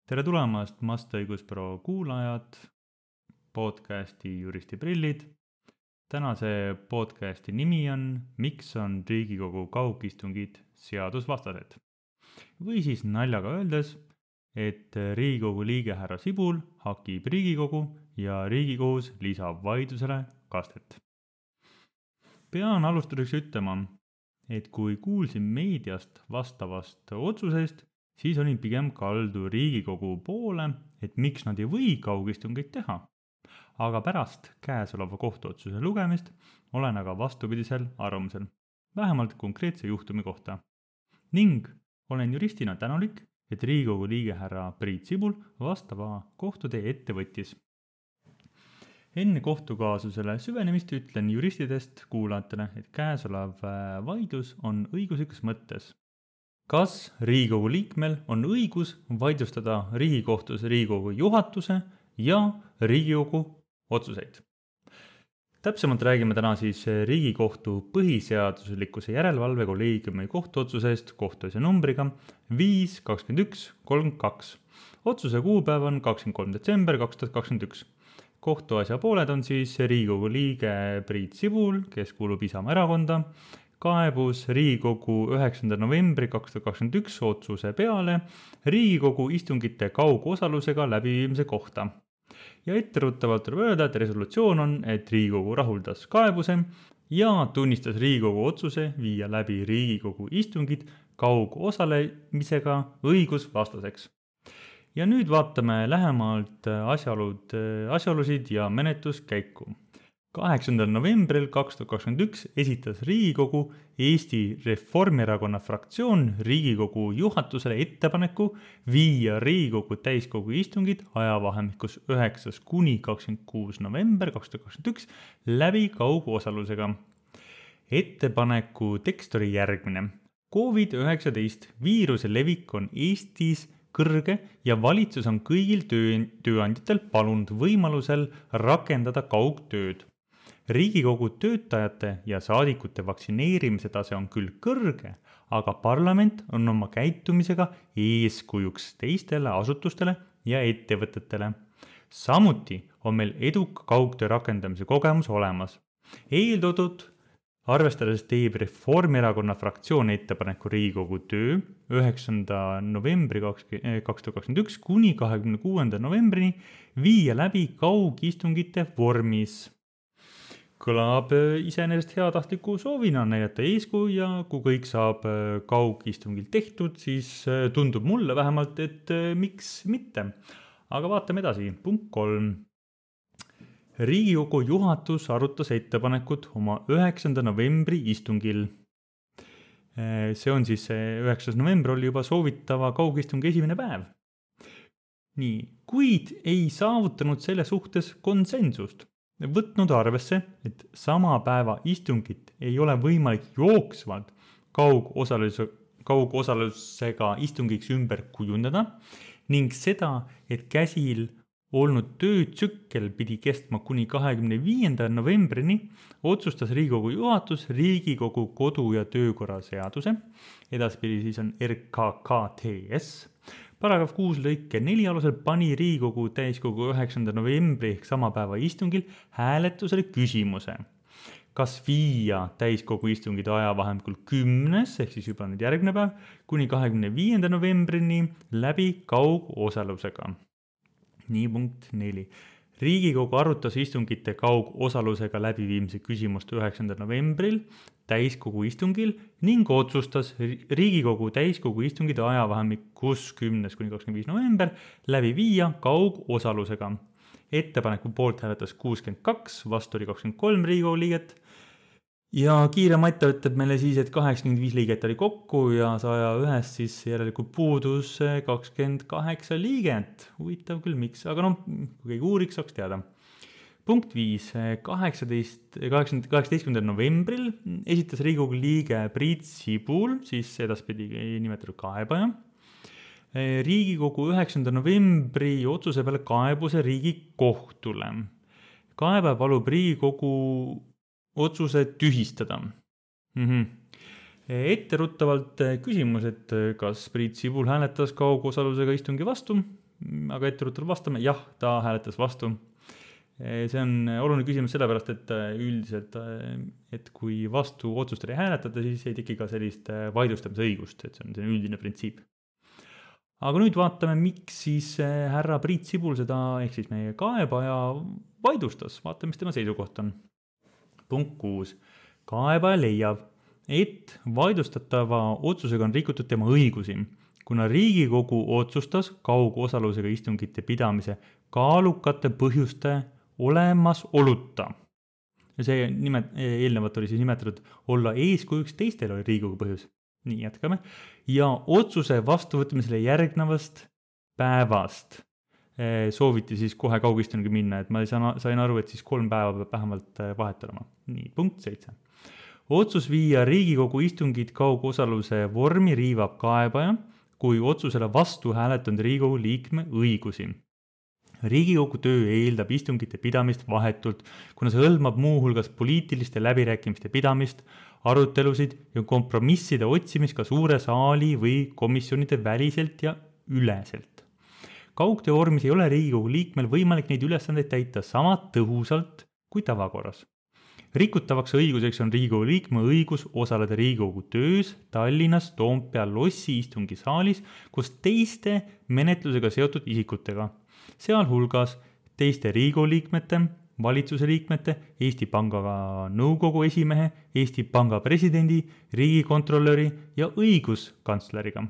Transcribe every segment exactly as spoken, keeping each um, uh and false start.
Tere tulemast Mast õigusbüroo kuulajad, podcasti Juristi prillid. Tänase podcasti nimi on Miks on Riigikogu kaugistungid seadusvastased? Või siis naljaga öeldes, et Riigikogu liige härra Sibul hakib Riigikogu ja Riigikohus lisab vaidlusele kastet. Pean alustuseks ütlema, et kui kuulsin meediast vastavast otsusest, siis olin pigem kaldu Riigikogu poole, et miks nad ei või kaugistungeid teha. Aga pärast käesoleva kohtuotsuse lugemist olen aga vastupidisel arvamusel, vähemalt konkreetse juhtumi kohta. Ning olen juristina tänulik, et Riigikogu liige härra Priit Sibul vastava kohtutee ette võttis. Enne kohtukaasusele süvenemist ütlen juristidest kuulajatele, et käesolev vaidlus on õiguslikus mõttes. Kas Riigikogu liikmel on õigus vaidlustada Riigikohtus Riigikogu juhatuse ja Riigikogu otsuseid? Täpsemalt räägime täna siis Riigikohtu põhiseaduslikkuse järelevalve kolleegiumi kohtuotsusest kohtuasja numbriga viis kakskümmend üks kolmkümmend kaks. Otsuse kuupäev on kakskümmend kolm detsember kaks tuhat kakskümmend üks. Kohtuasja pooled on siis Riigikogu liige Priit Sibul, kes kuulub Isamaa erakonda, kaebus Riigikogu üheksanda novembri kaks tuhat kakskümmend üks otsuse peale Riigikogu istungite kaugosalusega läbiviimise kohta. Ja etteruttavalt tuleb öelda, et resolutsioon on, et Riigikogu rahuldas kaebuse ja tunnistas Riigikogu otsuse viia läbi Riigikogu istungid kaugosalemisega õigusvastaseks. Ja nüüd vaatame lähemalt asjaolud, asjaolusid ja menetluskäiku. kaheksandal novembril kaks tuhat kakskümmend üks esitas Riigikogu Eesti Reformierakonna fraktsioon Riigikogu juhatusele ettepaneku viia Riigikogu täiskogu istungid ajavahemikus üheksas kuni kakskümmend kuus november kaks tuhat kakskümmend üks läbi kaugosalusega. Ettepaneku tekst oli järgmine. covid üheksateist viiruse levik on Eestis kõrge ja valitsus on kõigil töö, tööandjatel palunud võimalusel rakendada kaugtööd. Riigikogu töötajate ja saadikute vaktsineerimise tase on küll kõrge, aga parlament on oma käitumisega eeskujuks teistele asutustele ja ettevõtetele. Samuti on meil eduka kaugtöö rakendamise kogemus olemas. Eeltoodud arvestades teeb Reformierakonna fraktsioon ettepaneku Riigikogu töö üheksanda novembri kaks tuhat kakskümmend üks kuni kahekümne kuuenda novembrini viia läbi kaugistungite vormis. Kõlab iseenesest heatahtliku soovina näidata eeskuju ja kui kõik saab kaugistungil tehtud, siis tundub mulle vähemalt, et miks mitte. Aga vaatame edasi. Punkt kolm. Riigikogu juhatus arutas ettepanekut oma üheksanda novembri istungil. See on siis üheksas november oli juba soovitava kaugistungi esimene päev. Nii, kuid ei saavutanud selle suhtes konsensust. Võtnud arvesse, et sama päeva istungit ei ole võimalik jooksvalt kaugosaluse, kaugosalusega istungiks ümber kujundada ning seda, et käsil olnud töötsükkel pidi kestma kuni kahekümne viienda novembrini, otsustas Riigikogu juhatus Riigikogu kodu- ja töökorra seaduse, edaspidi siis on R K K T S, paragrahv kuus lõike neli alusel pani Riigikogu täiskogu üheksanda novembri ehk sama päeva istungil hääletusele küsimuse. Kas viia täiskogu istungid ajavahemikul kümnes ehk siis juba nüüd järgmine päev kuni kahekümne viienda novembrini läbi kaugosalusega. Nii punkt neli. Riigikogu arutas istungite kaugosalusega läbiviimise küsimust üheksandal novembril täiskogu istungil ning otsustas Riigikogu täiskogu istungid ajavahemikus kümnes kuni kakskümmend viis november läbi viia kaugosalusega. Ettepaneku poolt hääletas kuuskümmend kaks, vastu oli kakskümmend kolm Riigikogu liiget. Ja kiire matta ütleb meile siis, et kaheksakümmend viis liiget oli kokku ja saja ühest siis järelikult puudus kakskümmend kaheksa liiget. Huvitav küll, miks, aga noh, kui keegi uuriks, saaks teada. Punkt viis. kaheksateistkümnendal novembril esitas Riigikogu liige Priit Sibul, siis edaspidi nimetatud kaebaja, Riigikogu üheksanda novembri otsuse peale kaebuse Riigikohtule. Kaebaja palub Riigikogu otsuse tühistada. Mm-hmm. Etteruttavalt küsimus, et kas Priit Sibul hääletas kaugosalusega istungi vastu aga etteruttavalt vastame, jah, ta hääletas vastu. See on oluline küsimus sellepärast, et üldiselt, et kui vastu otsust ei hääletada, siis ei teki ka sellist vaidlustamise õigust, et see on see üldine printsiip. Aga nüüd vaatame, miks siis härra Priit Sibul seda, ehk siis meie kaebaja vaidlustas. Vaatame, mis tema seisukoht on. Punkt kuus. Kaebaja leiab, et vaidlustatava otsusega on rikutud tema õigusi, kuna Riigikogu otsustas kaugosalusega istungite pidamise kaalukate põhjuste olemas oluta. Ja see nimet, eelnevalt oli siis nimetatud olla eeskujuks teistel oli Riigikogu põhjus. Nii jätkame. Ja otsuse vastuvõtmisele järgnevast päevast sooviti siis kohe kaugistungi minna, et ma sain aru, et siis kolm päeva peab vähemalt vahet olema. Nii, punkt seitse. Otsus viia Riigikogu istungid kaugosaluse vormi riivab kaebaja, kui otsusele vastu hääletanud Riigikogu liikme õigusi. Riigikogu töö eeldab istungite pidamist vahetult, kuna see hõlmab muu hulgas poliitiliste läbirääkimiste pidamist, arutelusid ja kompromisside otsimist ka suure saali või komisjonide väliselt ja üleselt. Kaugtöö vormis ei ole Riigikogu liikmel võimalik neid ülesandeid täita sama tõhusalt kui tavakorras. Rikutavaks õiguseks on Riigikogu liikme õigus osaleda Riigikogu töös Tallinnas Toompea lossi istungisaalis koos teiste menetlusega seotud isikutega, sealhulgas teiste Riigikogu liikmete, valitsuse liikmete, Eesti Panga nõukogu esimehe, Eesti Panga presidendi, riigikontrolöri ja õiguskantsleriga.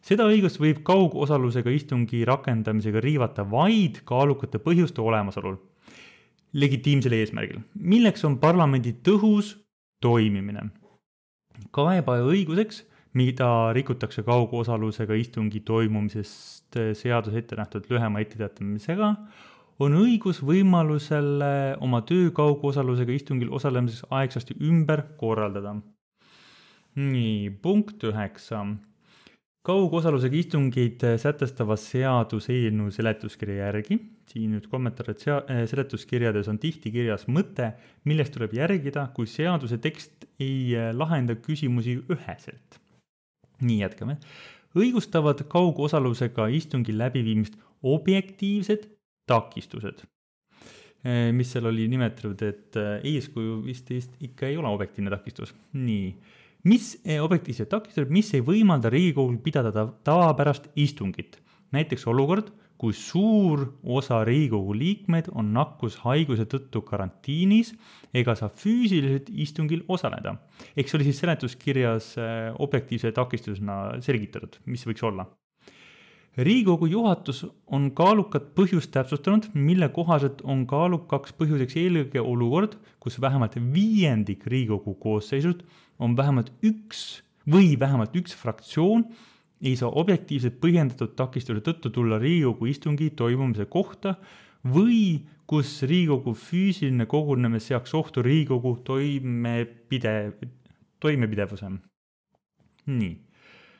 Seda õigust võib kaugosalusega istungi rakendamisega riivata vaid kaalukate põhjuste olemasolul legitiimsel eesmärgil, milleks on parlamendi tõhus toimimine. Kaebaja õiguseks, mida rikutakse kaugosalusega istungi toimumisest seadus ette nähtud lühema etteteatamisega, on õigus võimalusel oma töö kaugosalusega istungil osalemiseks aegsasti ümber korraldada. Nii, punkt üheksa. Kaugosalusega istungid sätestava seaduse eelnõu seletuskirja järgi. Siin nüüd kommentaar, et seletuskirjades on tihti kirjas mõte, millest tuleb järgida, kui seaduse tekst ei lahenda küsimusi üheselt. Nii jätkame. Õigustavad kaugosalusega istungi läbiviimist objektiivsed takistused, mis seal oli nimetatud, et eeskuju vist ikka ei ole objektiivne takistus. Nii. Mis objektiivsed takistused, mis ei võimalda Riigikogul pidada tavapärast istungit? Näiteks olukord, kui suur osa Riigikogu liikmed on nakkushaiguse tõttu karantiinis ega saa füüsiliselt istungil osaleda. Eks oli siis seletuskirjas objektiivse takistusena selgitatud, mis võiks olla. Riigikogu juhatus on kaalukat põhjust täpsustanud, mille kohaselt on kaalukaks põhjuseks eelkõige olukord, kus vähemalt viiendik Riigikogu koosseisust on vähemalt üks või vähemalt üks fraktsioon ei saa objektiivselt põhjendatud takistuse tõttu tulla Riigikogu istungi toimumise kohta või kus Riigikogu füüsiline kogunemine seaks ohtu Riigikogu toimepidev, toimepidevuse. Nii.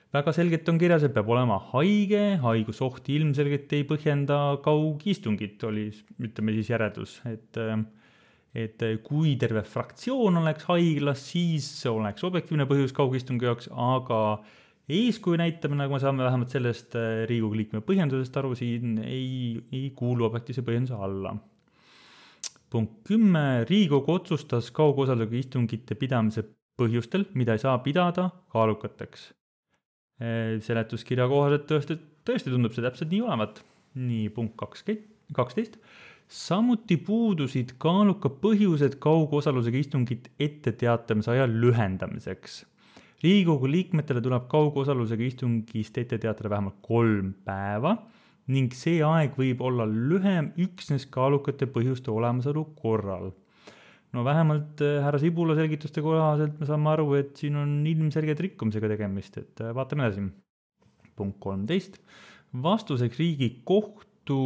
Väga selgelt on kirjas, et peab olema haige, haigusoht ilmselgelt ei põhjenda kaugistungit, oli, ütleme siis järeldus, et, et kui terve fraktsioon oleks haiglas, siis oleks objektiivne põhjus kaugistungi jaoks, aga eeskuju näitamine, nagu me saame vähemalt sellest Riigikogu liikme põhjendusest aru, siin ei, ei kuulu objektiivse põhjenduse alla. Punkt kümme. Riigikogu otsustas kaugosalusega istungite pidamise põhjustel, mida ei saa pidada kaalukateks. Seletuskirja kohaselt tõesti, tõesti tundub see täpselt nii olevat. Nii, punkt kaksteist. Samuti puudusid kaaluka põhjused kaugosalusega istungit ette teatamise aja lühendamiseks. Riigikogu liikmetele tuleb kaugosalusega istungist ette teatada vähemalt kolm päeva ning see aeg võib olla lühem üksnes kaalukate põhjuste olemasolu korral. No vähemalt härra Sibula selgituste kohaselt me saame aru, et siin on ilmselgelt rikkumisega tegemist, et vaatame edasi. Punkt kolmteist. Vastuseks Riigikohtu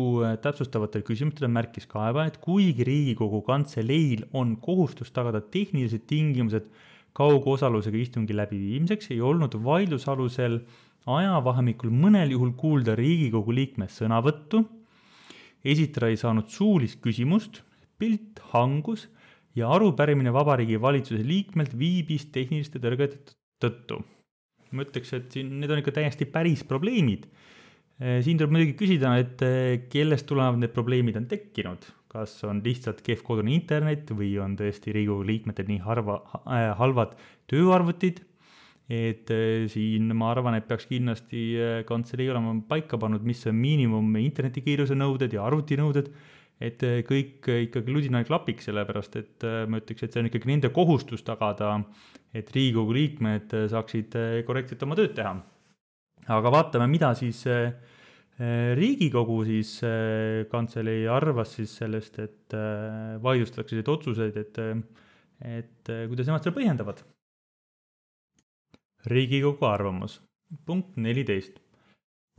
täpsustavatele küsimustele märkis kaebaja, et kuigi Riigikogu kantseleil on kohustus tagada tehnilised tingimused kaugosalusega istungi läbiviimiseks, ei olnud vaidlusalusel ajavahemikul mõnel juhul kuulda Riigikogu liikme sõnavõttu, esitada ei saanud suulist küsimust, pilt hangus ja arupärimine Vabariigi Valitsuse liikmelt viibis tehniliste tõrgete tõttu. Ma ütleks, et siin, need on ikka täiesti päris probleemid. Siin tuleb muidugi küsida, et kellest tulevad need probleemid on tekkinud. Kas on lihtsalt kehv kodune internet või on tõesti Riigikogu liikmetel nii harva, äh, halvad tööarvutid, et siin ma arvan, et peaks kindlasti kantselei olema paika pannud, mis on miinimum internetikiiruse nõuded ja arvutinõuded, et kõik ikkagi ludinal klapiks, sellepärast et ma ütleks, et see on ikkagi nende kohustus tagada, et Riigikogu liikmed saaksid korrektselt oma tööd teha. Aga vaatame, mida siis Riigikogu siis kantselei arvas siis sellest, et vaidlustatakse need otsuseid, et, et kuidas nemad seda põhjendavad. Riigikogu arvamus. Punkt neliteist.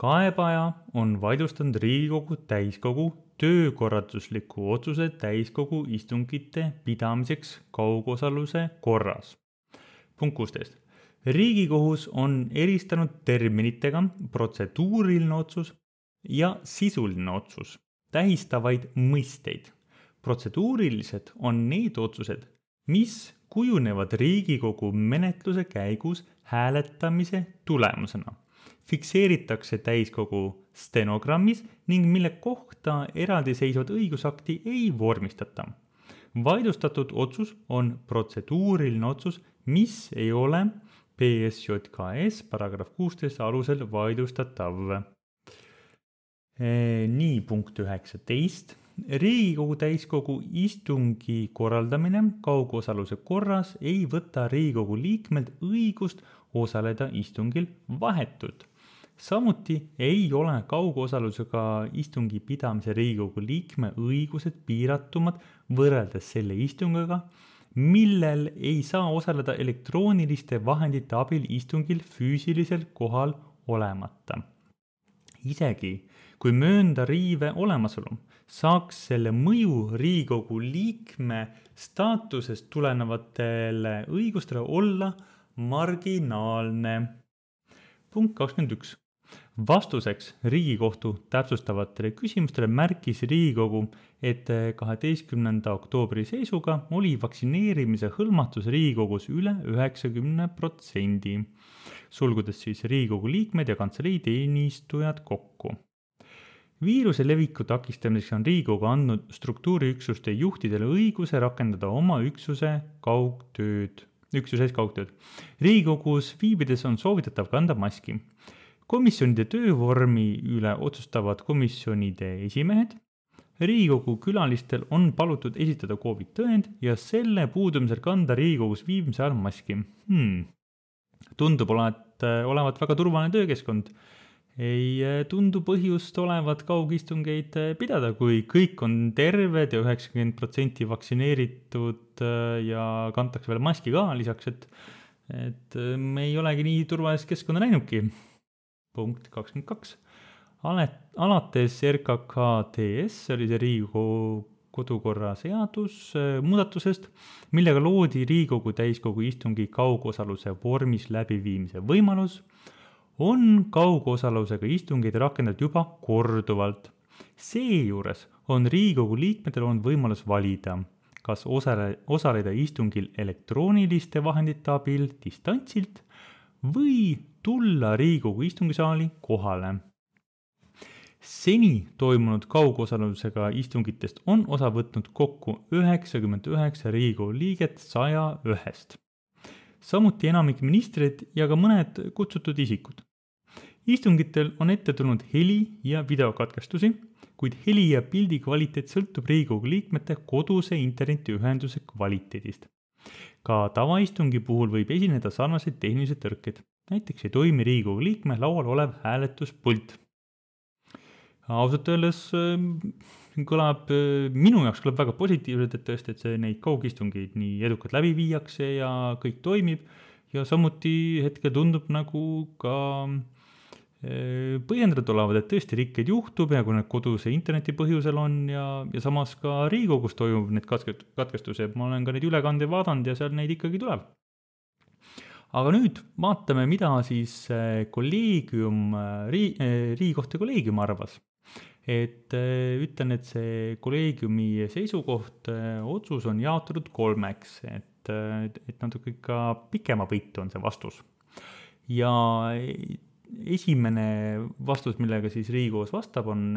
Kaebaja on vaidlustanud Riigikogu täiskogu töökorraldusliku otsuse täiskogu istungite pidamiseks kaugosaluse korras. Punkt kuusteist. Riigikohus on eristanud terminitega protseduuriline otsus ja sisuline otsus tähistavaid mõisteid. Protseduurilised on need otsused, mis kujunevad Riigikogu menetluse käigus hääletamise tulemusena. Fikseeritakse täiskogu stenogrammis ning mille kohta eraldiseisvat õigusakti ei vormistata. Vaidlustatud otsus on protseduuriline otsus, mis ei ole P S J K S paragrahv kuusteist alusel vaidlustatav. Nii, punkt üheksateist. Riigikogu täiskogu istungi korraldamine kaugosaluse korras ei võta Riigikogu liikmelt õigust osaleda istungil vahetult. Samuti ei ole kaugosalusega istungi pidamise Riigikogu liikme õigused piiratumad võrreldes selle istungiga, millel ei saa osaleda elektrooniliste vahendite abil istungil füüsilisel kohal olemata. Isegi kui möönda riive olemasolu, saaks selle mõju Riigikogu liikme staatusest tulenevatele õigustele olla marginaalne. Punkt kakskümmend üks. Vastuseks Riigikohtu täpsustavatele küsimustele märkis Riigikogu, et kaheteistkümnenda oktoobri seisuga oli vaktsineerimise hõlmatus Riigikogus üle üheksakümne protsendi, sulgudes siis Riigikogu liikmed ja kantselei teenistujad kokku. Viiruse leviku takistamiseks on Riigikogu andnud struktuuriüksuste juhtidele õiguse rakendada oma üksuse kaugtööd, üksuses kaugtööd. Riigikogus viibides on soovitatav kanda maski. Komisjonide töövormi üle otsustavad komisjonide esimehed. Riigikogu külalistel on palutud esitada COVID tõend ja selle puudumisel kanda Riigikogus viibimise ajal maski. Hmm. Tundub olevat, olevat väga turvaline töökeskkond. Ei tundu põhjust olevat kaugistungeid pidada, kui kõik on terved ja üheksakümmend protsenti vaktsineeritud ja kantakse veel maski ka lisaks, et, et me ei olegi nii turvalist keskkonda näinudki. Punkt kakskümmend kaks. Alates R K K T S oli see Riigikogu kodukorra seadus muudatusest, millega loodi Riigikogu täiskogu istungi kaugosaluse vormis läbiviimise võimalus, on kaugosalusega istungeid rakendatud juba korduvalt. Seejuures on Riigikogu liikmetel on võimalus valida, kas osale, osaleda istungil elektrooniliste vahendite abil distantsilt või tulla Riigikogu istungisaali kohale. Seni toimunud kaugosalusega istungitest on osa võtnud kokku üheksakümmend üheksa Riigikogu liiget saja ühest. Samuti enamik ministrid ja ka mõned kutsutud isikud. Istungitel on ette tulnud heli- ja videokatkestusi, kuid heli- ja pildi kvaliteet sõltub Riigikogu liikmete koduse internetiühenduse kvaliteedist. Ka tavaistungi puhul võib esineda sarnaseid tehnilised tõrked. Näiteks ei toimi Riigikogu liikme laual olev hääletuspult. Ausalt öeldes kõlab, minu jaoks kõlab väga positiivselt, et tõesti, et see neid kaugistungeid nii edukalt läbi viiakse ja kõik toimib. Ja samuti hetkel tundub nagu ka põhjendatud olevad, et tõesti rikkeid juhtub ja kui need koduse interneti põhjusel on ja, ja samas ka Riigikogus toimub need katkestused. Ma olen ka neid ülekande vaadanud ja seal neid ikkagi tuleb. Aga nüüd vaatame, mida siis kolleegium, Riigikohtu kolleegium arvas. Et ütlen, et see kolleegiumi seisukoht otsus on jaotatud kolmeks, et, et natuke ikka pikema võitu on see vastus. Ja esimene vastus, millega siis Riigikohus vastab, on,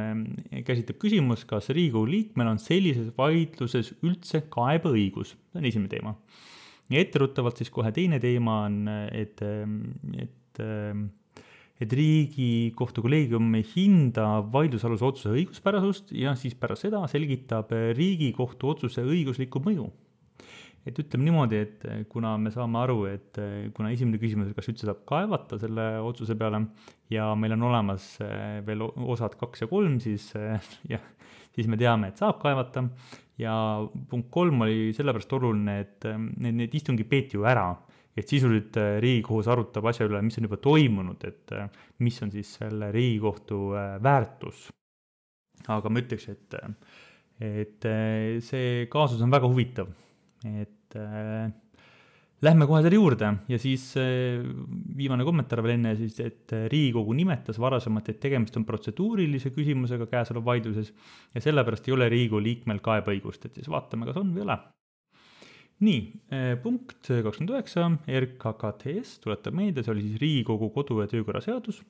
käsitleb küsimus, kas Riigikogu liikmel on sellises vaidluses üldse kaebeõigus. See on esimene teema. Ja etteruttavalt siis kohe teine teema on, et, et, et Riigikohtu kolleegium ei hinda vaidlusaluse otsuse õiguspärasust ja siis pärast seda selgitab Riigikohtu otsuse õiguslikku mõju. Et ütleme niimoodi, et kuna me saame aru, et kuna esimene küsimus, kas üldse saab kaevata selle otsuse peale ja meil on olemas veel osad kaks ja kolm, siis, ja, siis me teame, et saab kaevata. Ja punkt kolm oli sellepärast oluline, et need, need istungi peeti ju ära. Et sisuliselt Riigikohus arutab asja üle, mis on juba toimunud, et mis on siis selle Riigikohtu väärtus. Aga ma ütleks, et, et see kaasus on väga huvitav. Et äh, lähme kohe selle juurde ja siis äh, viimane kommentaar veel enne, siis, et Riigikogu nimetas varasemalt, et tegemist on protseduurilise küsimusega käesoleva vaidluses ja sellepärast ei ole Riigikogu liikmel kaebeõigust, et siis vaatame, kas on või ole. Nii, äh, punkt kakskümmend üheksa, R K K T S, tuletab meelde, see oli siis Riigikogu kodu- ja töökorra seadus.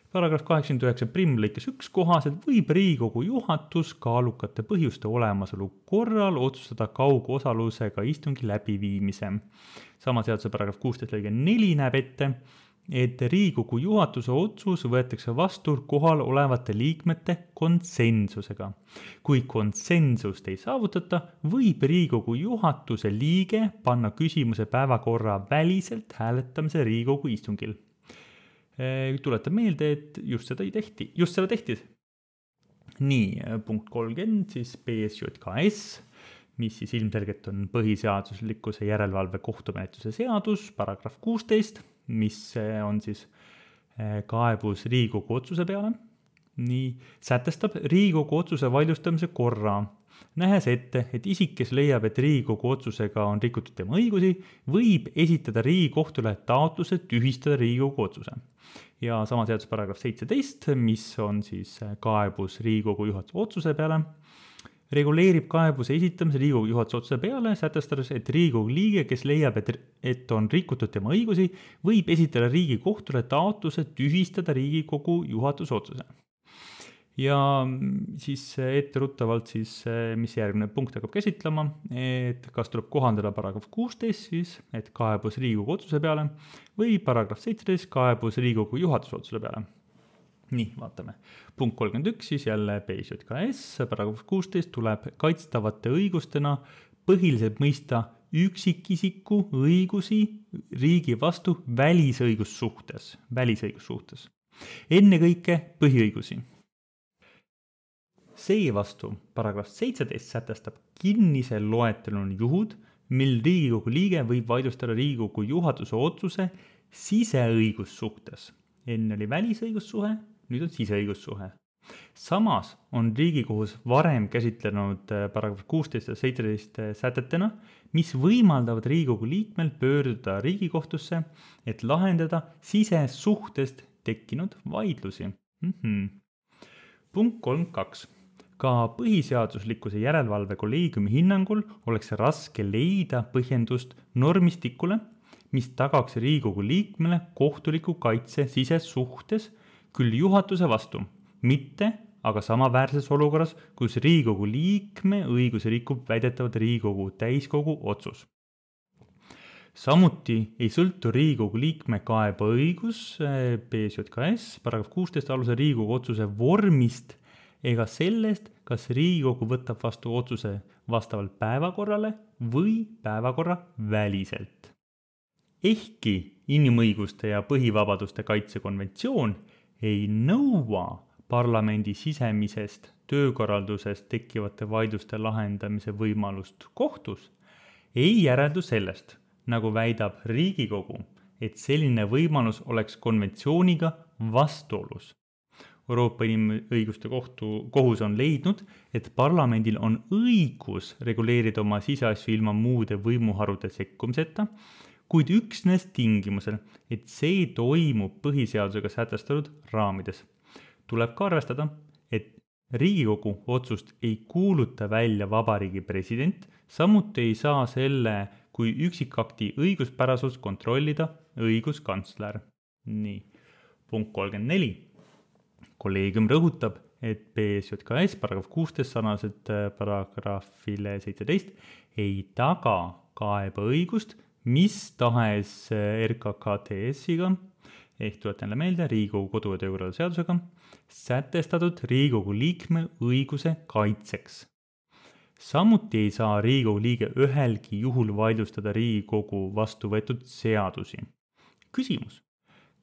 Paragrahv kaheksakümmend üheksa prim lõikes üks kohaselt võib Riigikogu juhatus kaalukate põhjuste olemasolu korral otsustada kaugosalusega istungi läbiviimise. Sama seaduse paragrahv kuusteist lõige neli näeb ette, et Riigikogu juhatuse otsus võetakse vastu kohal olevate liikmete konsensusega. Kui konsensust ei saavutata, võib Riigikogu juhatuse liige panna küsimuse päevakorra väliselt hääletamise Riigikogu istungil. Tuletab meelde, et just seda ei tehti, just seda tehti. Nii, punkt kolmkümmend, siis B S J K S, mis siis ilmselgelt on põhiseaduslikkuse järelevalve kohtumenetluse seadus, paragrahv kuusteist, mis on siis kaebus Riigikogu otsuse peale. Nii, sätestab Riigikogu otsuse vaidlustamise korra, nähes ette, et isik, kes leiab, et Riigikogu otsusega on rikutud tema õigusi, võib esitada Riigikohtule taotluse tühistada Riigikogu otsuse. Ja sama seadus paragrahv seitseteist, mis on siis kaebus Riigikogu juhatuse otsuse peale, reguleerib kaebuse esitamise Riigikogu juhatuse otsuse peale, sätestades, et Riigikogu liige, kes leiab, et, et on rikutud tema õigusi, võib esitada Riigikohtule taotluse tühistada Riigikogu juhatuse otsuse. Ja siis etteruttavalt siis, mis järgmine punkt hakkab käsitlema, et kas tuleb kohandada paragrahv kuusteist siis, et kaebus Riigikogu otsuse peale või paragrahv seitseteist kaebus Riigikogu juhatuse otsuse peale. Nii, vaatame. Punkt kolmkümmend üks siis jälle B S J K S, paragrahv kuusteist tuleb kaitstavate õigustena põhiliselt mõista üksikisiku õigusi riigi vastu välisõigussuhtes, välisõigussuhtes. Enne kõike põhiõigusi. Seevastu paragrahv seitseteist sätestab kinnise loetelun juhud, mil Riigikogu liige võib vaidlustada Riigikogu juhatuse otsuse siseõigussuhtes. Enne oli välisõigussuhe, nüüd on siseõigussuhe. Samas on Riigikohus varem käsitlenud paragrahv kuusteist ja seitseteist sätetena, mis võimaldavad Riigikogu liikmel pöörduda Riigikohtusse, et lahendada sisesuhtest tekkinud vaidlusi. Mm-hmm. Punkt kolmkümmend kaks. Ka põhiseaduslikkuse järelevalve kolleegiumi hinnangul oleks raske leida põhjendust normistikule, mis tagaks Riigikogu liikmele kohtuliku kaitse sisesuhtes küll juhatuse vastu, mitte aga samaväärses olukorras, kus Riigikogu liikme õiguse rikub väidetavalt Riigikogu täiskogu otsus. Samuti ei sõltu Riigikogu liikme kaebeõigus B S J K S paragrahv kuusteist alusel Riigikogu otsuse vormist ega sellest, kas Riigikogu võtab vastu otsuse vastavalt päevakorrale või päevakorra väliselt. Ehkki inimõiguste ja põhivabaduste kaitsekonventsioon ei nõua parlamendi sisemisest töökorraldusest tekkivate vaidluste lahendamise võimalust kohtus, ei järeldu sellest, nagu väidab Riigikogu, et selline võimalus oleks konventsiooniga vastuolus. Euroopa Inimõiguste kohtu, kohus on leidnud, et parlamendil on õigus reguleerida oma siseasju ilma muude võimuharude sekkumiseta, kuid üksnes tingimusel, et see toimub põhiseadusega sätestatud raamides. Tuleb ka arvestada, et Riigikogu otsust ei kuuluta välja Vabariigi president, samuti ei saa selle kui üksikakti õiguspärasust kontrollida õiguskantsler. Nii. punkt kolmkümmend neli. Kolleegium rõhutab, et B S J K S paragrahv kuusteist sarnaselt paragrahvile seitseteist ei taga kaebeõigust mis tahes R K K T S-iga ehk tuletan jälle meelde Riigikogu kodu- ja töökorra seadusega sätestatud Riigikogu liikme õiguse kaitseks. Samuti ei saa Riigikogu liige ühelgi juhul vaidlustada Riigikogu vastu võetud seadusi. Küsimus.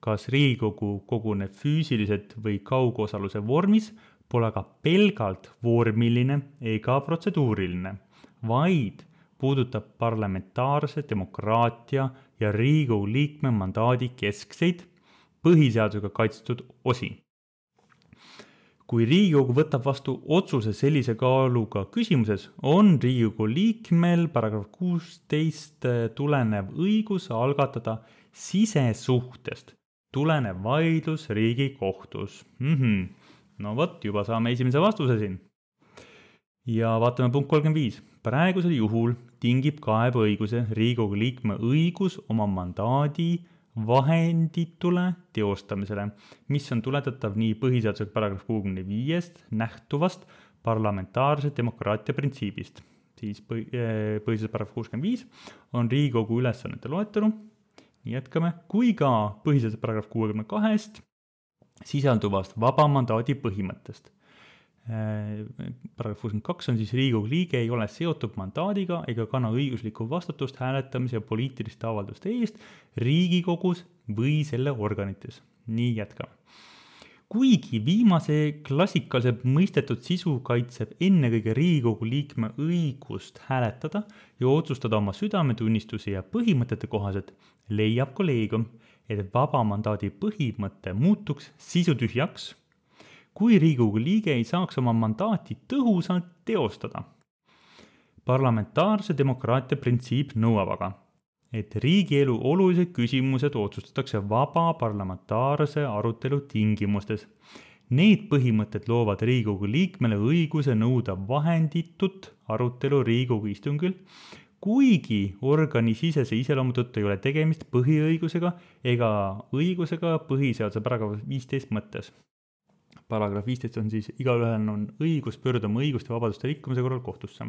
Kas Riigikogu koguneb füüsiliselt või kaugosaluse vormis, pole aga pelgalt vormiline ega protseduuriline, vaid puudutab parlamentaarse demokraatia ja Riigikogu liikme mandaadi keskseid põhiseadusega kaitstud osi. Kui Riigikogu võtab vastu otsuse sellise kaaluga küsimuses, on Riigikogu liikmel paragrahv kuusteist tulenev õigus algatada sisesuhtest tulenev vaidlus Riigikohtus. Mm-hmm. No vot, juba saame esimese vastuse siin. Ja vaatame punkt kolmkümmend viis. Praegusel juhul tingib kaebeõiguse Riigikogu liikme õigus oma mandaadi vahenditule teostamisele, mis on tuletatav nii põhiseaduse paragrahv kuuekümne viiest nähtuvast parlamentaarse demokraatia printsiibist. Siis põhiseaduse paragrahv kuuskümmend viis on Riigikogu ülesannete loetelu, nii jätkame, kui ka põhiseaduse paragrahv kuuekümne kahest sisalduvast vaba mandaadi põhimõttest. Paragrahv kuuskümmend kaks on siis Riigikogu liige ei ole seotud mandaadiga ega kanna õiguslikku vastutust hääletamise ja poliitiliste avalduste eest Riigikogus või selle organites. Nii jätkame. Kuigi viimase klassikaliselt mõistetud sisu kaitseb ennekõige Riigikogu liikme õigust hääletada ja otsustada oma südametunnistuse ja põhimõtete kohaselt, leiab kolleegium, et vaba mandaadi põhimõte muutuks sisutühjaks, kui Riigikogu liige ei saaks oma mandaati tõhusalt teostada. Parlamentaarse demokraatia printsiip nõuab aga, et riigielu olulised küsimused otsustatakse vaba parlamentaarse arutelu tingimustes. Need põhimõtted loovad Riigikogu liikmele õiguse nõuda vahenditut arutelu Riigikogu istungil, kuigi organisisese iseloomu tõttu ei ole tegemist põhiõigusega ega õigusega põhiseaduse paragrahv viisteist mõttes. Paragrahv viisteist on siis igaühel on õigus pöörduda oma õiguste ja vabaduste rikkumise korral kohtusse.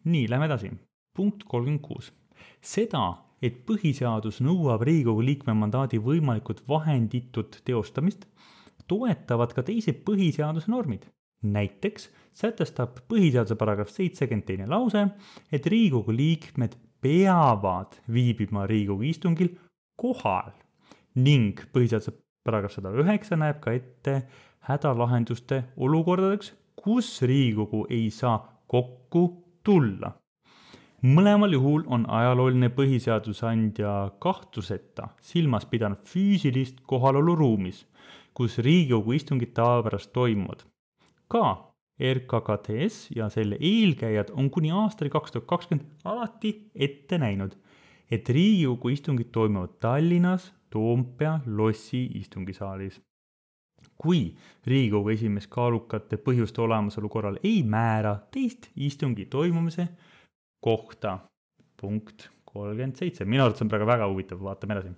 Nii, lähme edasi. Punkt kolmkümmend kuus. Seda, et põhiseadus nõuab Riigikogu liikme mandaadi võimalikult vahenditut teostamist, toetavad ka teised põhiseaduse normid. Näiteks sätestab põhiseaduse paragrahv seitsekümmend teine lause, et Riigikogu liikmed peavad viibima Riigikogu istungil kohal ning põhiseaduse paragrahv sada üheksa näeb ka ette hädalahenduste olukordadeks, kus Riigikogu ei saa kokku tulla. Mõlemal juhul on ajalooline põhiseadusandja kahtluseta silmas pidanud füüsilist kohalolu ruumis, kus Riigikogu istungid tavapärast toimuvad. Ka R K K T S ja selle eelkäijad on kuni aastal kaks tuhat kakskümmend alati ette näinud, et Riigikogu istungid toimuvad Tallinnas Toompea lossi istungisaalis. Kui Riigikogu esimees kaalukate põhjuste olemasolu korral ei määra teist istungi toimumise kohta. Punkt kolmkümmend seitse. Minu arvates on praegu väga huvitav, vaatame edasi.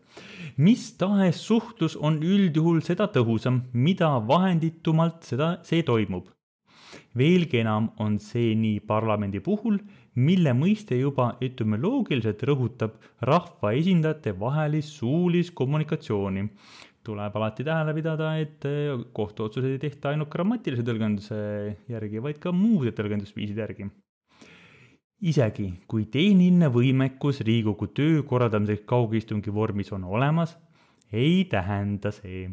Mis tahes suhtlus on üldjuhul seda tõhusam, mida vahenditumalt seda, see toimub. Veelgi enam on see nii parlamendi puhul, mille mõiste juba etümoloogiliselt rõhutab rahva esindajate vahelist suulist kommunikatsiooni. Tuleb alati tähele pidada, et kohtuotsuseid ei tehta ainult grammatilise tõlgenduse järgi, vaid ka muude tõlgendusviiside järgi. Isegi kui tehniline võimekus Riigikogu töö korraldamiseks kaugistungi vormis on olemas, ei tähenda see,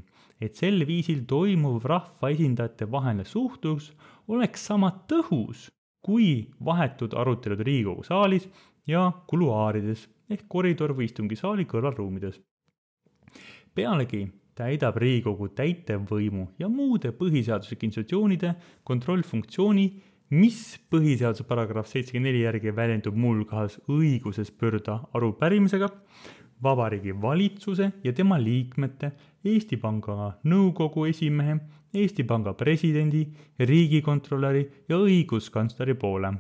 et sel viisil toimuv rahva esindajate vaheline suhtlus oleks sama tõhus kui vahetud arutelud Riigikogu saalis ja kuluaarides ehk koridor või istungisaali kõrvalruumides. Pealegi täidab Riigikogu täitevvõimu ja muude põhiseaduslike institutsioonide kontrollfunktsiooni, mis põhiseaduse paragrahv seitsekümmend neli järgi väljendub mulgas õiguses pöörduda arupärimisega Vabariigi valitsuse ja tema liikmete, Eesti Panga nõukogu esimehe, Eesti Panga presidendi, riigikontrolöri ja õiguskantsleri poole.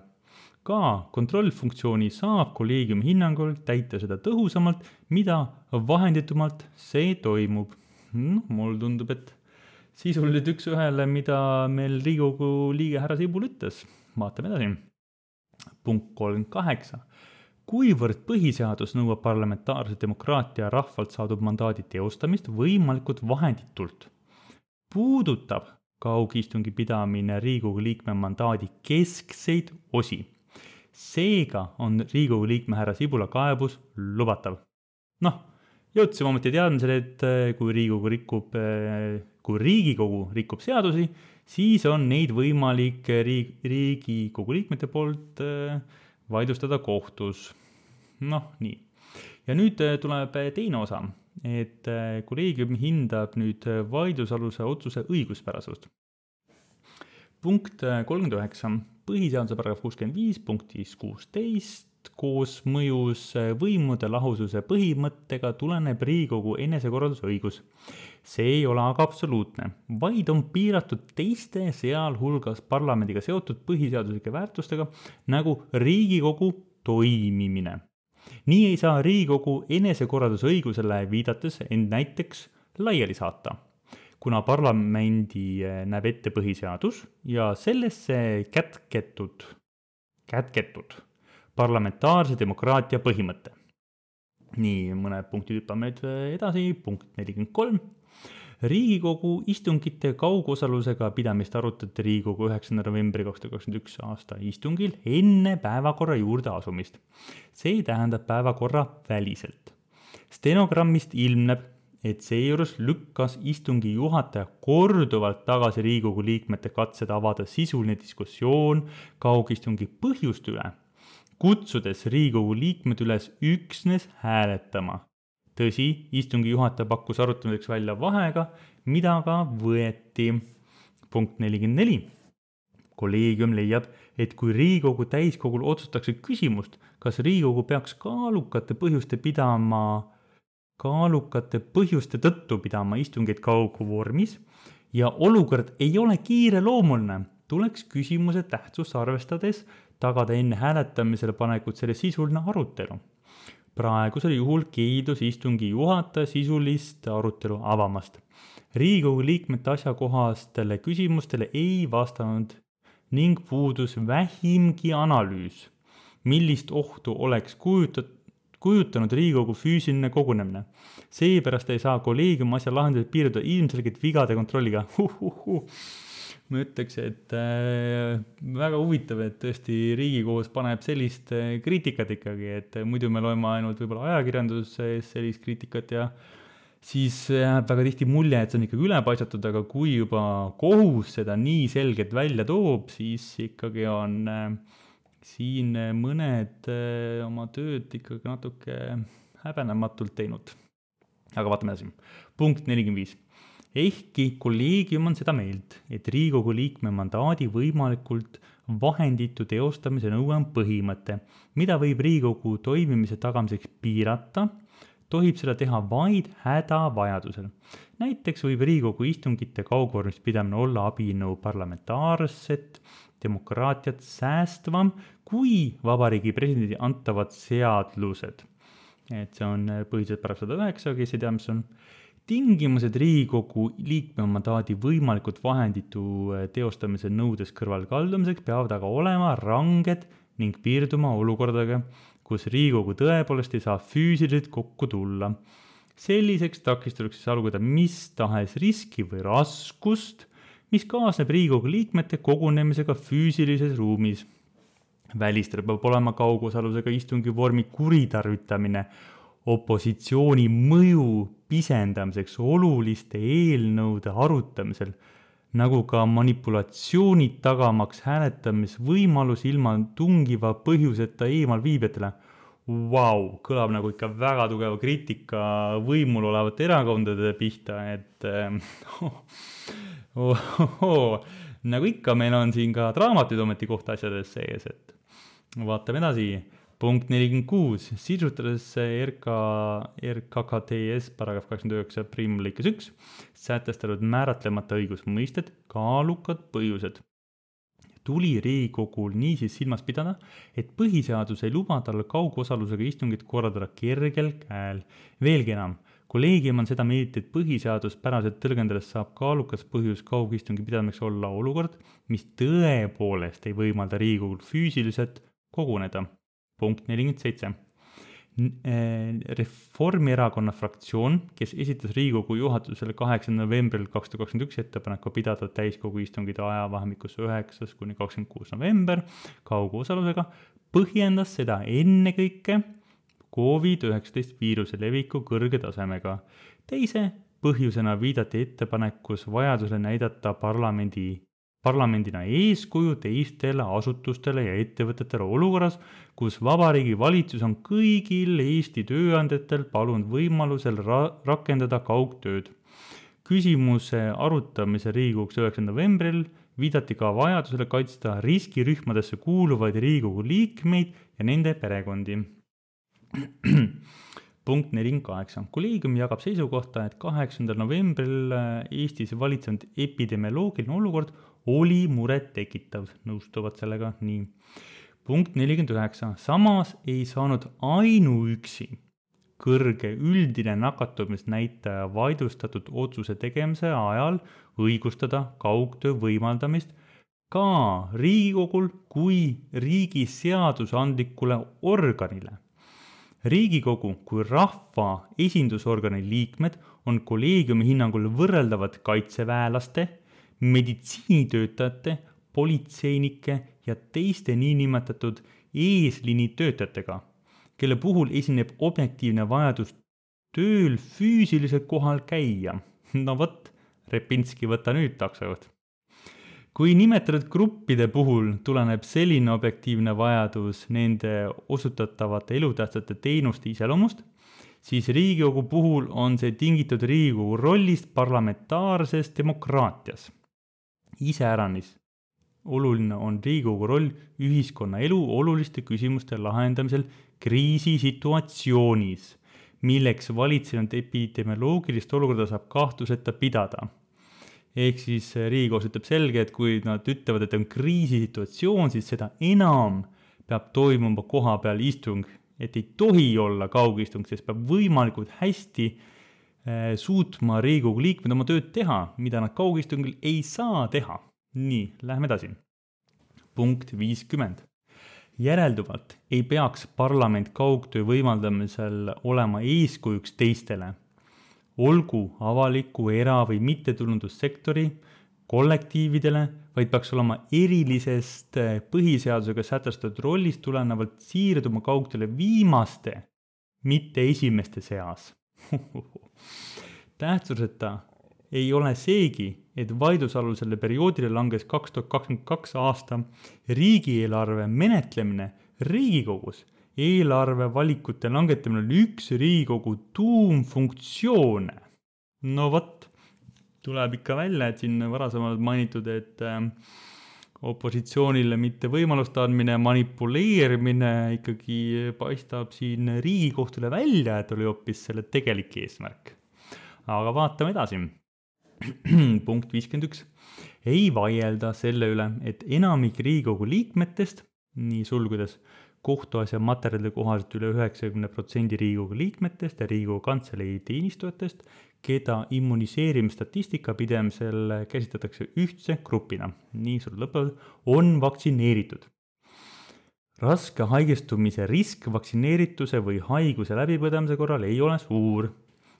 Ka kontrollfunktsiooni saab kolleegiumi hinnangul täita seda tõhusamalt, mida vahenditumalt see toimub. no, mul tundub, et sisuliselt üks ühele, mida meil Riigikogu liige härra Sibul ütles. Vaatame edasi. Punkt kolmkümmend kaheksa. Kuivõrd põhiseadus nõuab parlamentaarse demokraatia rahvalt saadud mandaadi teostamist võimalikult vahenditult, puudutab kaugistungi pidamine Riigikogu liikme mandaadi keskseid osi. Seega on Riigikogu liikme härra Sibula kaebus lubatav. Noh, jõudsime ometi teadmisele, et kui Riigikogu rikub, kui Riigikogu rikub seadusi, siis on neid võimalik riik, Riigikogu liikmete poolt vaidlustada kohtus. Noh, nii. Ja nüüd tuleb teine osa, et kolleegium hindab nüüd vaidlusaluse otsuse õiguspärasust. Punkt kolmkümmend üheksa. Põhiseaduse paragrahv kuuskümmend viis punktis kuusteist koos mõjus võimude lahususe põhimõttega tuleneb Riigikogu enesekorraldusõigus. See ei ole aga absoluutne, vaid on piiratud teiste sealhulgas parlamendiga seotud põhiseaduslike väärtustega nagu Riigikogu toimimine. Nii ei saa Riigikogu enesekorraldusõigusele viidates end näiteks laiali saata, kuna parlamendi näeb ette põhiseadus ja sellesse kätketud, kätketud parlamentaarse demokraatia põhimõte. Nii, mõned punktid hüppame edasi. Punkt nelikümmend kolm. Riigikogu istungite kaugosalusega pidamist arutati Riigikogu üheksanda novembri kaks tuhat kakskümmend üks aasta istungil enne päevakorra juurde asumist. See tähendab päevakorra väliselt. Stenogrammist ilmneb, et seejuures lükkas istungi juhataja korduvalt tagasi Riigikogu liikmete katsed avada sisuline diskussioon kaugistungi põhjust üle, kutsudes Riigikogu liikmed üles üksnes hääletama. Tõsi, istungi juhataja pakkus arutamiseks välja vahega, mida ka võeti. Punkt nelikümmend neli. Kolleegium leiab, et kui Riigikogu täiskogul otsustatakse küsimust, kas Riigikogu peaks kaalukate põhjuste pidama, kaalukate põhjuste tõttu pidama istungeid kauguvormis ja olukord ei ole kiireloomuline, tuleks küsimuse tähtsust arvestades tagada enne hääletamisele panekut selle sisuline arutelu. Praegusel juhul keeldus istungi juhataja sisulist arutelu avamast. Riigikogu liikmete asjakohastele küsimustele ei vastanud ning puudus vähimgi analüüs, millist ohtu oleks kujutat, kujutanud Riigikogu füüsiline kogunemine. Seepärast ei saa kolleegium asja lahendused piirduda ilmselgelt vigade kontrolliga. Huh, huh, huh. Ma ütleks, et äh, väga huvitav, et tõesti Riigikohus paneb sellist äh, kriitikat ikkagi, et muidu me loeme ainult võib-olla ajakirjanduses sellist kriitikat ja siis jääb väga tihti mulje, et see on ikkagi ülepaisatud, aga kui juba kohus seda nii selgelt välja toob, siis ikkagi on äh, siin mõned äh, oma tööd ikkagi natuke häbenematult teinud. Aga vaatame edasi. Punkt nelikümmend viis. Ehkki kolleegium on seda meelt, et Riigikogu liikme mandaadi võimalikult vahenditu teostamise nõue on põhimõte, mida võib Riigikogu toimimise tagamiseks piirata, tohib seda teha vaid hädavajadusel. Näiteks võib Riigikogu istungite kaugvormis pidamine olla abinõu parlamentaarset demokraatiat säästvam kui Vabariigi presidendi antavad seadlused. Et see on põhiseaduse paragrahv sada üheksa, kes ei tea, mis on. Tingimused Riigikogu liikme mandaadi võimalikult vahenditu teostamise nõudes kõrvalkaldumiseks peavad aga olema ranged ning piirduma olukordadega, kus Riigikogu tõepoolest ei saa füüsiliselt kokku tulla. Selliseks takistuseks salguda mis tahes riski või raskust, mis kaasneb Riigikogu liikmete kogunemisega füüsilises ruumis. Välistel peab olema kaugosalusega istungi vormi kuritarvitamine, opositsiooni mõju pisendamiseks oluliste eelnõude arutamisel, nagu ka manipulatsioonid tagamaks hääletamisvõimalus ilma tungiva põhjuseta eemal viibijatele. Vau, kõlab nagu ikka väga tugeva kriitika võimul olevate erakondade pihta, et oh, oh, oh, nagu ikka meil on siin ka draamatuid ometi kohta asjades sees, et vaatame edasi. Punkt nelikümmend kuus. Sisustades R K, R K K T S paragrahv kakskümmend üheksa prim lõikes üks sätestatud määratlemata õigusmõisted, kaalukad põhjused. Tuli Riigikogul niisiis silmas pidada, et põhiseadus ei luba tal kaugosalusega istungit korraldada kergel käel. Veelgi enam, kolleegium on seda meelt, et põhiseaduspäraselt tõlgendades saab kaalukas põhjus kaugistungi pidamiseks olla olukord, mis tõepoolest ei võimalda Riigikogul füüsiliselt koguneda. Punkt nelikümmend seitse. Reformierakonna fraktsioon, kes esitas Riigikogu juhatusele kaheksandal novembril kaks tuhat kakskümmend üks ettepaneku pidada täiskogu istungid ajavahemikus üheksas kuni kakskümmend kuus november kaugosalusega, põhjendas seda ennekõike covid üheksateist viiruse leviku kõrge tasemega. Teise põhjusena viidati ettepanekus vajadusele näidata parlamendi parlamendina eeskuju teistele asutustele ja ettevõtetele olukorras, kus Vabariigi Valitsus on kõigil Eesti tööandjatel palunud võimalusel ra- rakendada kaugtööd. Küsimuse arutamise Riigikogus üheksandal novembril viidati ka vajadusele kaitsta riskirühmadesse kuuluvaid Riigikogu liikmeid ja nende perekondi. Punkt nelikümmend kaheksa. Kolleegium jagab seisukohta, et kaheksandal novembril Eestis valitsenud epidemioloogiline olukord oli muret tekitav, nõustuvad sellega nii. Punkt nelikümmend üheksa. Samas ei saanud ainuüksi kõrge üldine nakatumisnäitaja vaidlustatud otsuse tegemise ajal õigustada kaugtöö võimaldamist ka Riigikogul kui riigi seadusandlikule organile. Riigikogu kui rahva esindusorgani liikmed on kolleegiumi hinnangul võrreldavad kaitseväelaste, meditsiinitöötajate, politseinike ja teiste niinimetatud eesliini töötajatega, kelle puhul esineb objektiivne vajadus tööl füüsiliselt kohal käia. No võt, Repinski, võta nüüd taksojuht. Kui nimetatud gruppide puhul tuleneb selline objektiivne vajadus nende osutatavate elutähtsate teenuste iseloomust, siis Riigikogu puhul on see tingitud Riigikogu rollist parlamentaarses demokraatias. Iseäranis oluline on Riigikogu roll ühiskonna elu oluliste küsimuste lahendamisel kriisisituatsioonis, milleks valitsenud epidemioloogilist olukorda saab kahtluseta pidada. Ehk siis Riigikohus ütleb selge, et kui nad ütlevad, et on kriisisituatsioon, siis seda enam peab toimuma koha peal istung, et ei tohi olla kaugistung, sest peab võimalikult hästi suutma Riigikogu liikmed oma tööd teha, mida nad kaugistungil ei saa teha. Nii, lähme edasi. Punkt viiskümmend. Järelduvalt ei peaks parlament kaugtöö võimaldamisel olema eeskujuks teistele, olgu avaliku, era- või mittetulundussektori kollektiividele, vaid peaks olema erilisest põhiseadusega sätestatud rollist tulenevalt siirduma kaugtööle viimaste, mitte esimeste seas. Tähtsuseta ei ole seegi, et vaidlusalusele perioodile langes kaks tuhat kakskümmend kaks aasta riigieelarve menetlemine Riigikogus. Eelarve valikute langetamine oli üks Riigikogu tuumfunktsioone. No võt, tuleb ikka välja, et siin varasemalt mainitud, et opositsioonile mitte võimalust andmine, manipuleerimine ikkagi paistab siin Riigikohtule välja, et oli hoopis selle tegelik eesmärk. Aga vaatame edasi. Punkt viiskümmend üks. Ei vaielda selle üle, et enamik Riigikogu liikmetest, nii sulgudes, kohtuasja materjalide kohaselt üle üheksakümne protsendi Riigikogu liikmetest ja Riigikogu kantselei teenistujatest, keda immuniseerimisstatistika pidemisel käsitletakse ühtse grupina, nii sul lõpevad, on vaktsineeritud. Raske haigestumise risk vaktsineerituse või haiguse läbipõdemise korral ei ole suur.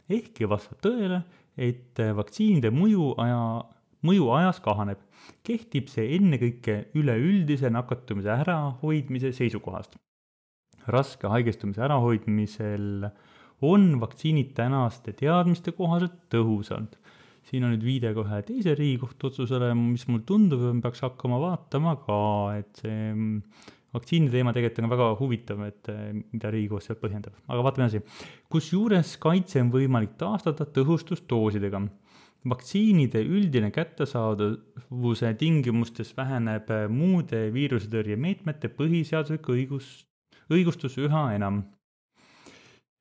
Ehkki vastab tõele, et vaktsiinide mõju, aja, mõju ajas kahaneb. Kehtib see ennekõike üleüldise nakatumise ärahoidmise seisukohast. Raske haigestumise ärahoidmisel on vaktsiinid tänaste teadmiste kohaselt tõhusalt. Siin on nüüd viide kohe teise Riigikohtu otsusele, mis mul tundub, peaks hakkama vaatama ka, et see vaktsiini teema tegelikult on väga huvitav, et mida Riigikohus seal põhjendab. Aga vaatame edasi. Kusjuures kaitse on võimalik taastada tõhustusdoosidega. Vaktsiinide üldine kättesaadavuse tingimustes väheneb muude viirusetõrje meetmete põhiseaduslik õigus, õigustus üha enam.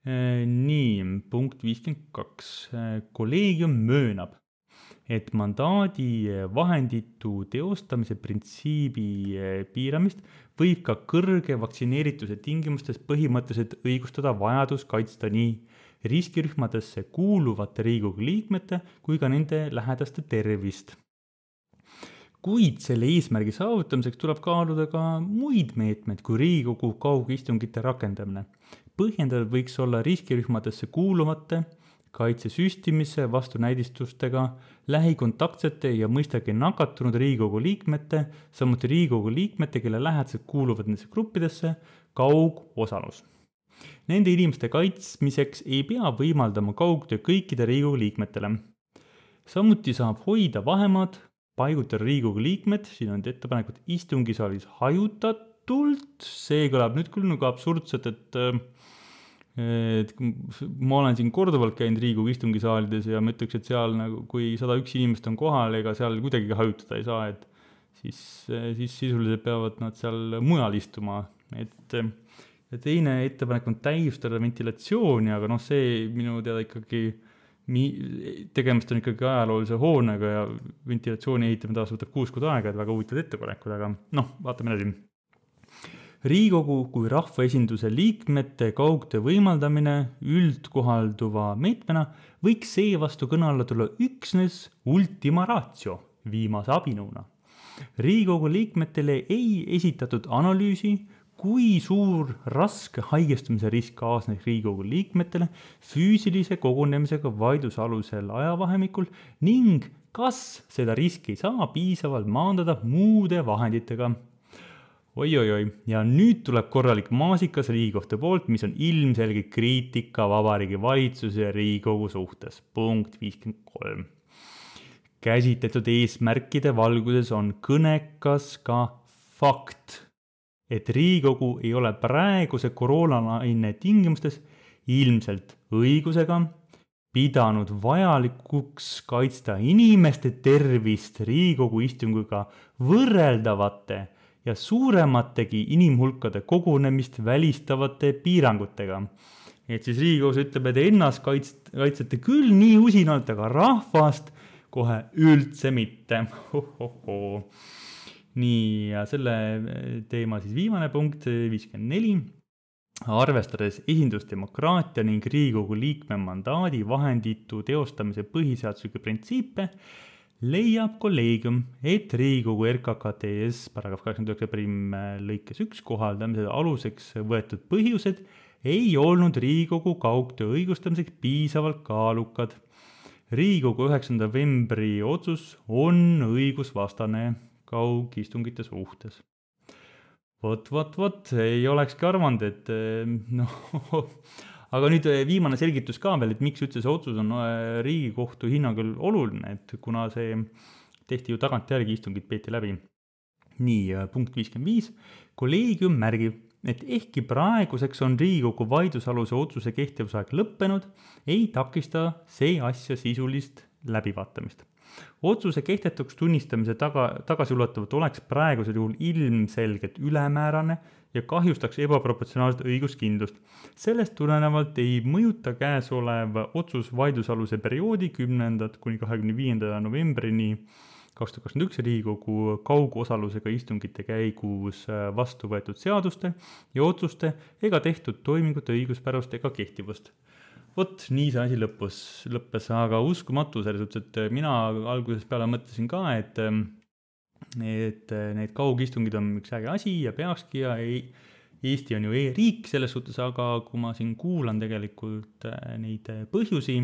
Nii, punkt viiskümmend kaks. Kolleegium möönab, et mandaadi vahenditu teostamise printsiibi piiramist võib ka kõrge vaktsineerituse tingimustes põhimõtteliselt õigustada vajadus kaitsta nii riskirühmadesse kuuluvate Riigikogu liikmete kui ka nende lähedaste tervist. Kuid selle eesmärgi saavutamiseks tuleb kaaluda ka muid meetmeid kui Riigikogu kaugistungite rakendamine. Põhjendatud võiks olla riskirühmadesse kuuluvate, kaitsesüstimise vastunäidistustega, lähikontaktsete ja mõistagi nakatunud Riigikogu liikmete, samuti Riigikogu liikmete, kelle lähedased kuuluvad nendesse gruppidesse, kaugosalus. Nende inimeste kaitsmiseks ei pea võimaldama kaugtöö kõikide Riigikogu liikmetele. Samuti saab hoida vahemaad, paigutada Riigikogu liikmed, siin on ettepanekud istungisaalis hajutatult, see kõlab nüüd küll nagu absurdselt, et, et ma olen siin korduvalt käinud Riigikogu istungisaalides ja ma ütleks, et seal nagu, kui sada üks inimest on kohal, ega seal kuidagi hajutada ei saa, et siis, siis sisuliselt peavad nad seal mujal istuma. Et, ja teine ettepanek on täiustada ventilatsiooni, aga noh, see minu teada ikkagi tegemist on ikkagi ajaloolise hoonega ja ventilatsiooni ehitamine taas võtab kuus kuud aega, et väga huvitavad ettepanekud, aga noh, vaatame edasi. Riigikogu kui rahvaesinduse liikmete kaugtöö võimaldamine üldkohalduva meetmena võiks seevastu kõne alla tulla üksnes ultima ratio viimase abinõuna. Riigikogu liikmetele ei esitatud analüüsi, kui suur raske haigestumise risk kaasneks Riigikogu liikmetele füüsilise kogunemisega vaidlusalusel ajavahemikul ning kas seda riski saa piisavalt maandada muude vahenditega. Oi-oi-oi, ja nüüd tuleb korralik maasikas Riigikohtu poolt, mis on ilmselge kriitika Vabariigi Valitsuse ja Riigikogu suhtes. Punkt viiskümmend kolm. Käsitletud eesmärkide valguses on kõnekas ka fakt, et Riigikogu ei ole praeguse koroonalaine tingimustes ilmselt õigusega pidanud vajalikuks kaitsta inimeste tervist Riigikogu istungiga võrreldavate ja suuremategi inimhulkade kogunemist välistavate piirangutega. Et siis Riigikogus ütleb, et ennast kaitst, kaitsete küll nii usinalt, aga rahvast kohe üldse mitte. Ho, ho, ho. Nii, ja selle teema siis viimane punkt, viiskümmend neli. Arvestades esindusdemokraatia ning Riigikogu liikme mandaadi vahenditu teostamise põhiseaduslikke printsiipe, leiab kolleegium, et Riigikogu R K K T S paragrahv kaheksakümmend üheksa prim lõikes üks kohaldamise aluseks võetud põhjused ei olnud Riigikogu kaugtöö õigustamiseks piisavalt kaalukad. Riigikogu üheksanda novembri otsus on õigusvastane kaugistungite suhtes. Vot, vot, vot, ei olekski arvanud, et noh, aga nüüd viimane selgitus ka veel, et miks üldse see otsus on Riigikohtu hinnangul oluline, et kuna see tehti ju tagantjärgi istungid peeti läbi. Nii, punkt viiskümmend viis. Kolleegium märgib, et ehkki praeguseks on Riigikogu vaidlusaluse otsuse kehtivusaeg lõppenud, ei takista see asja sisulist läbivaatamist. Otsuse kehtetuks tunnistamise taga, tagasiulatavalt oleks praegusel juhul ilmselgelt ülemäärane ja kahjustaks ebaproportsionaalset õiguskindlust. Sellest tulenevalt ei mõjuta käesolev otsus vaidlusaluse perioodi kümnendast kuni kahekümne viienda novembrini kaks tuhat kakskümmend üks Riigikogu kaugosalusega istungite käigus vastu võetud seaduste ja otsuste ega tehtud toimingute õiguspärust ega kehtivust. Vot nii see asi lõppus, lõppes, aga uskumatu selles suhtes, et mina algusest peale mõtlesin ka, et, et need kaugistungid on üks äge asi ja peakski ja ei, Eesti on ju e-riik selles suhtes, aga kui ma siin kuulan tegelikult neid põhjusi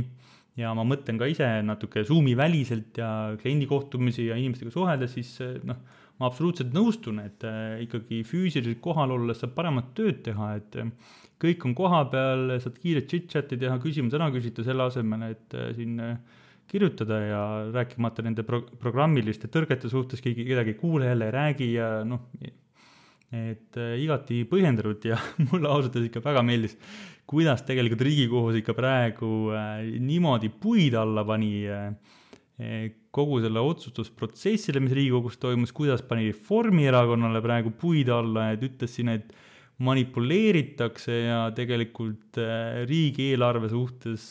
ja ma mõtlen ka ise natuke Zoomi väliselt ja kliendi kohtumisi ja inimestega suheldes, siis noh, ma absoluutselt nõustun, et ikkagi füüsiliselt kohal olles saab paremat tööd teha, et kõik on koha peal, saad kiiret chit-chati teha, küsimus ära küsida selle asemel, et siin kirjutada ja rääkimata nende pro- programmiliste tõrgete suhtes, keegi kedagi kuule jälle ei räägi ja noh, et igati põhjendatud ja mulle ausalt ikka väga meeldis, kuidas tegelikult Riigikohus ikka praegu niimoodi puid alla pani kogu selle otsustusprotsessile, mis Riigikogus toimus, kuidas pani Reformierakonnale praegu puid alla, et ütles siin, et manipuleeritakse ja tegelikult riigieelarve suhtes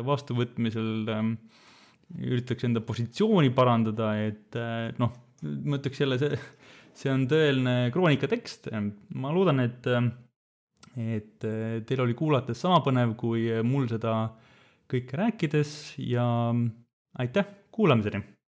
vastuvõtmisel üritatakse enda positsiooni parandada, et noh, ma ütleks jälle, see, see on tõeline kroonikatekst. Ma loodan, et et teil oli kuulates sama põnev kui mul seda kõike rääkides ja aitäh, kuulamiseni!